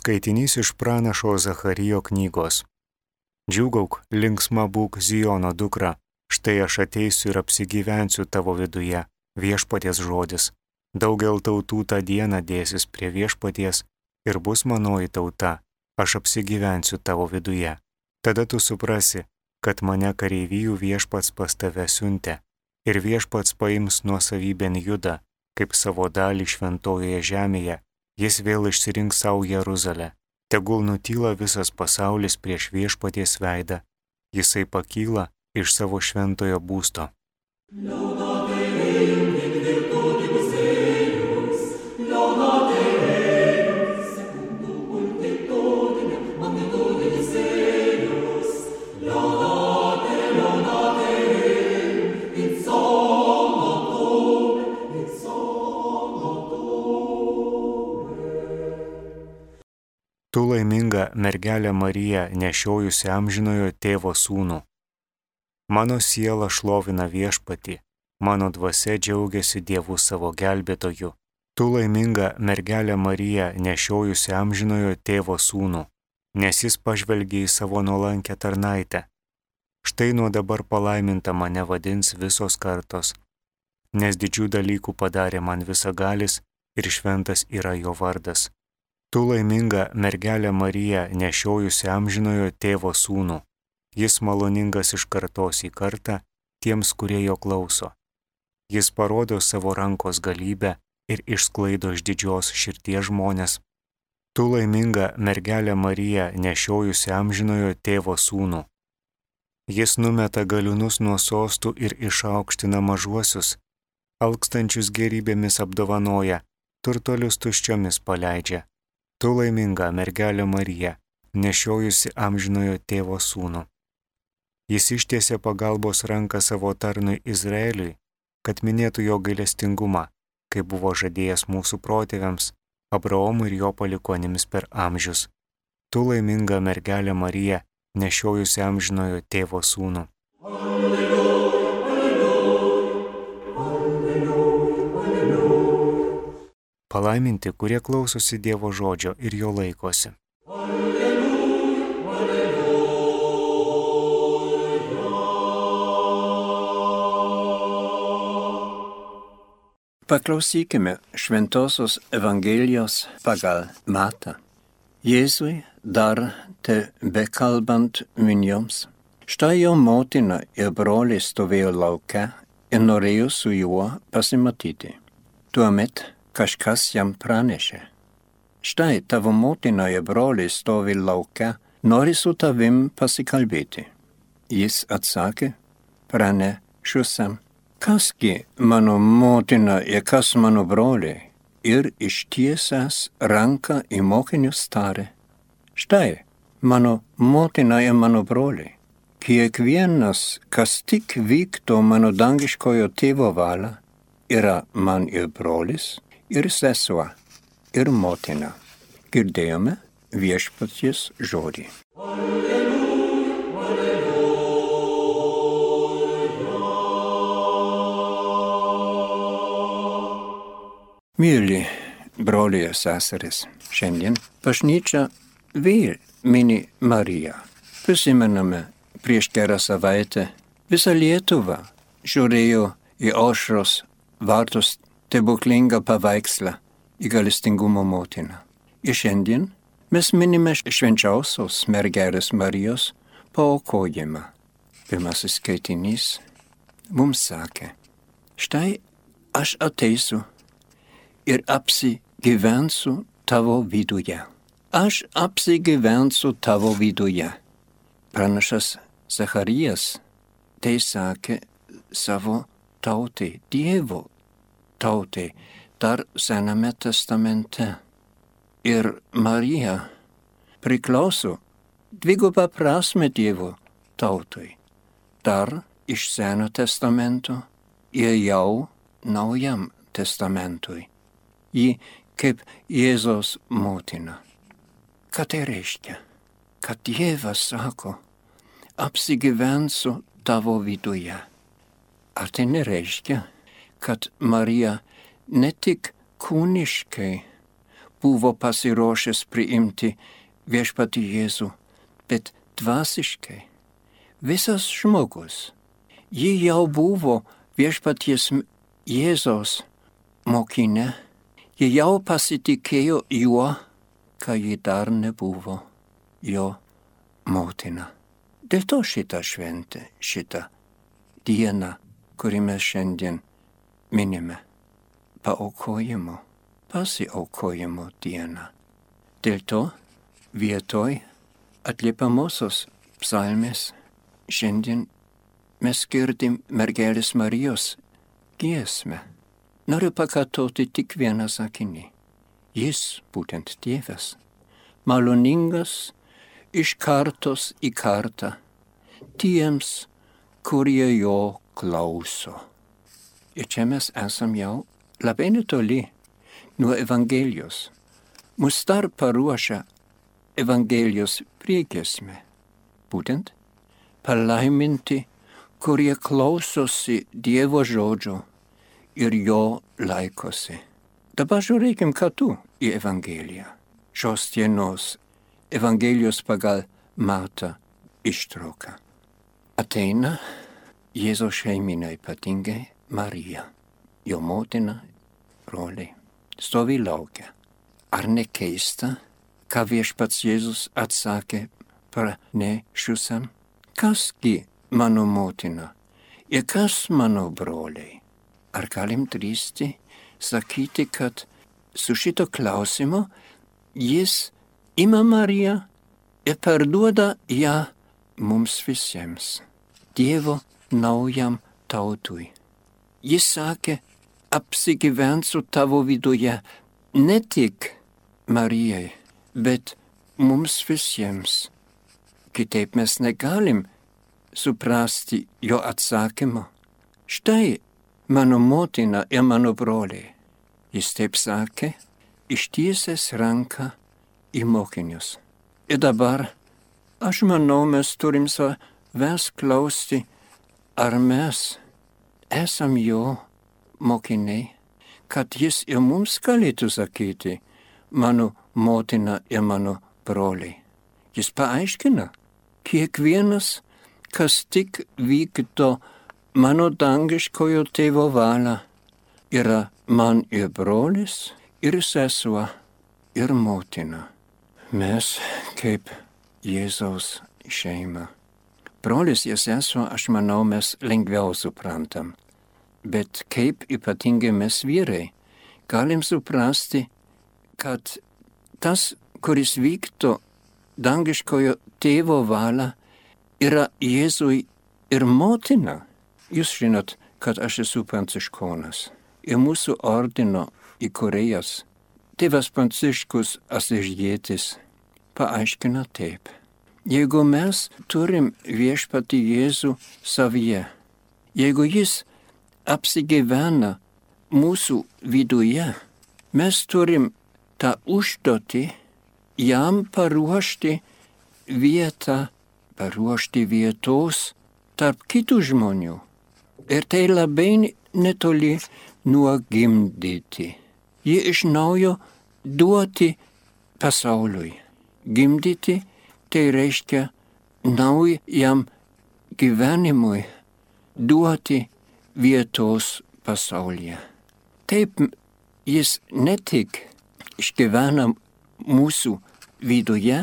Skaitinys iš pranašo Zacharijo knygos. Džiūgauk, linksma būk Zijono dukra, štai aš ateisiu ir apsigyvensiu tavo viduje, viešpaties žodis. Daugel tautų tą dieną dėsis prie viešpaties ir bus manoji tauta, aš apsigyvensiu tavo viduje. Tada tu suprasi, kad mane kareivijų viešpats pas tave siuntė ir viešpats paims nuosavybėn Judą, kaip savo dalį šventojoje žemėje, jis vėl išsirinks savo Jeruzalę. Tegul nutyla visas pasaulis prieš viešpaties veidą, jisai pakyla iš savo šventojo būsto. Tu laiminga mergelė Marija, nešiojusi amžinojo tėvo sūnų. Mano siela šlovina viešpatį, mano dvasia džiaugiasi Dievu savo gelbėtoju. Tu laiminga mergelė Marija, nešiojusi amžinojo tėvo sūnų, nes jis pažvelgė į savo nuolankę tarnaitę. Štai nuo dabar palaiminta mane vadins visos kartos, nes didžių dalykų padarė man visagalis ir šventas yra jo vardas. Tu laiminga mergelė Marija, nešiojusi amžinojo tėvo sūnų. Jis maloningas iš kartos į kartą tiems, kurie jo klauso. Jis parodo savo rankos galybę ir išsklaido iš didžios širties žmonės. Tu laiminga mergelė Marija, nešiojusi amžinojo tėvo sūnų. Jis numeta galiūnus nuo sostų ir išaukština mažuosius, alkstančius gerybėmis apdovanoja, turtuolius tuščiomis paleidžia. Tu laiminga mergelė Marija, nešiojusi amžinojo tėvo sūnų. Jis ištiesė pagalbos ranką savo tarnui Izraeliui, kad minėtų jo gailestingumą, kaip buvo žadėjęs mūsų protėviams, Abraomui ir jo palikuonims per amžius. Tu laiminga mergelė Marija, nešiojusi amžinojo tėvo sūnų. Palaiminti, kurie klausosi Dievo žodžio ir jo laikosi. Paklausykime Šventosios Evangelijos pagal Matą. Jėzui dar tebekalbant minioms. Štai jo motina ir broliai stovėjo lauke ir norėjo su juo pasimatyti. Tuomet kažkas jam pranešė. Štai tavo motina ir broliai stovi lauke, nori su tavim pasikalbėti. Jis atsakė, pranešiusiam, kasgi mano motina ir kas mano broliai, ir ištiesęs ranką į mokinius tarė. Štai mano motina ir mano broliai. Kiekvienas, kas tik vykdo mano dangiškojo tėvo valią, yra man ir brolis, ir sesuo, ir motina. Girdėjome viešpaties žodį. Alleluja, alleluja. Mėly broliai ir seserys, šiandien bažnyčia vėl mini Mariją. Prisimename, prieš gerą savaitę visa Lietuva žiūrėjo į aušros vartus stebuklingą paveikslą į gailestingumo motiną. Ir šiandien mes minime švenčiausios mergelės Marijos paaukojimą. Pirmasis skaitinys mums sakė, štai aš ateisiu ir apsigyvensiu tavo viduje. Aš apsigyvensiu tavo viduje. Pranašas Zacharijas tai sakė savo tautai, Dievo tautai, dar Sename testamente. Ir Marija priklauso dvigubą prasme Dievo tautai. Dar iš Seno testamento ir jau Naujam testamentui. Ji kaip Jėzaus motina. Ką tai reiškia? Kad Dievas sako, apsigyvensiu tavo viduje. Ar tai nereiškia, kad Marija ne tik kūniškai buvo pasiruošęs priimti viešpatį Jėzų, bet dvasiškai visas žmogus. Ji jau buvo viešpaties Jėzaus mokinė, ji jau pasitikėjo juo, kai ji dar nebuvo jo motina. Dėl to šitą šventę, šitą dieną, kurį mes šiandien minime, pasiaukojimo dieną. Dėl to vietoj atliepamosios psalmės šiandien mes girdim mergelės Marijos giesmę. Noriu pakartoti tik vieną sakinį. Jis, būtent Dievas, maloningas iš kartos į kartą tiems, kurie jo klauso. Ir čia mes esam jau labai netoli nuo Evangelijos. Mus dar paruošia Evangelijos priegiesmė. Būtent palaiminti, kurie klausosi Dievo žodžio ir jo laikosi. Dabar žiūrėkim kartu į Evangeliją. Šios dienos Evangelijos pagal Matą ištrauką. Ateina Jėzaus šeimyna, ypatingai Marija, jo motina, broliai, stovi laukia. Ar ne keista, ką viešpats Jėzus atsakė pranešusiam? Kasgi mano motina ir kas mano broliai? Ar galim drįsti sakyti, kad su šito klausimo jis ima Mariją ir perduoda ją mums visiems, Dievo naujam tautui. Jis sakė, apsigyvent su tavo viduje ne tik Marijai, bet mums visiems. Kitaip mes negalim suprasti jo atsakymo. Štai mano motina ir mano broliai. Jis taip sakė, ištiesęs ranką į mokinius. Ir dabar, aš manau, mes turim savęs klausti, ar mes esam jo mokiniai, kad jis ir mums galėtų sakyti, mano motina ir mano broliai. Jis paaiškina, kiekvienas, kas tik vykdo mano dangiškojo tėvo valią, yra man ir brolis, ir sesuo, ir motina. Mes kaip Jėzaus šeima. Brolis ir sesuo, aš manau, mes lengviau suprantam. Bet kaip ypatingai mes vyrai galim suprasti, kad tas, kuris vykdo dangiškojo tėvo valią, yra Jėzui ir motina. Jūs žinot, kad aš esu pranciškonas. Ir mūsų ordino įkūrėjas, tėvas Pranciškus Asižietis, paaiškina taip. Jeigu mes turim viešpatį Jėzų savyje, jeigu jis apsigyvena mūsų viduje, mes turim tą užduotį jam paruošti vietą, paruošti vietos tarp kitų žmonių. Ir tai labai netoli nuo gimdyti. Jį iš naujo duoti pasauliui. Gimdyti tai reiškia naujam gyvenimui duoti vietos pasaulyje. Taip jis ne tik išgyvena mūsų viduje,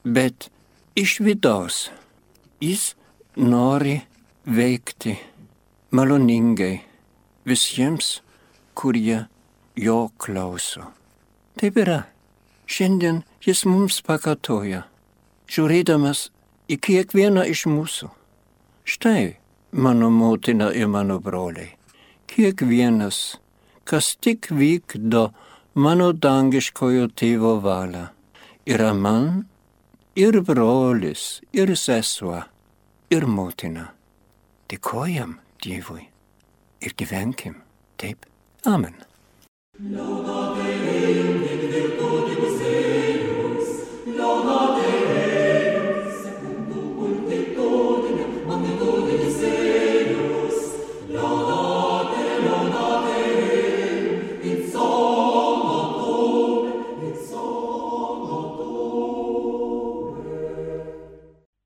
bet iš vidaus. Jis nori veikti maloningai visiems, kurie jo klauso. Taip yra. Šiandien jis mums pakartoja, žiūrėdamas į kiekvieną iš mūsų. Štai mano motina ir mano broliai. Kiekvienas, kas tik vykdo mano dangiškojo tėvo valią, yra man ir brolis, ir sesuo, ir motina. Dėkojam Dievui ir gyvenkim taip. Amen.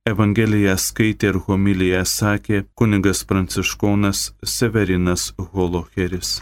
Evangeliją skaitė ir homiliją sakė kunigas pranciškonas Severinas Holocheris.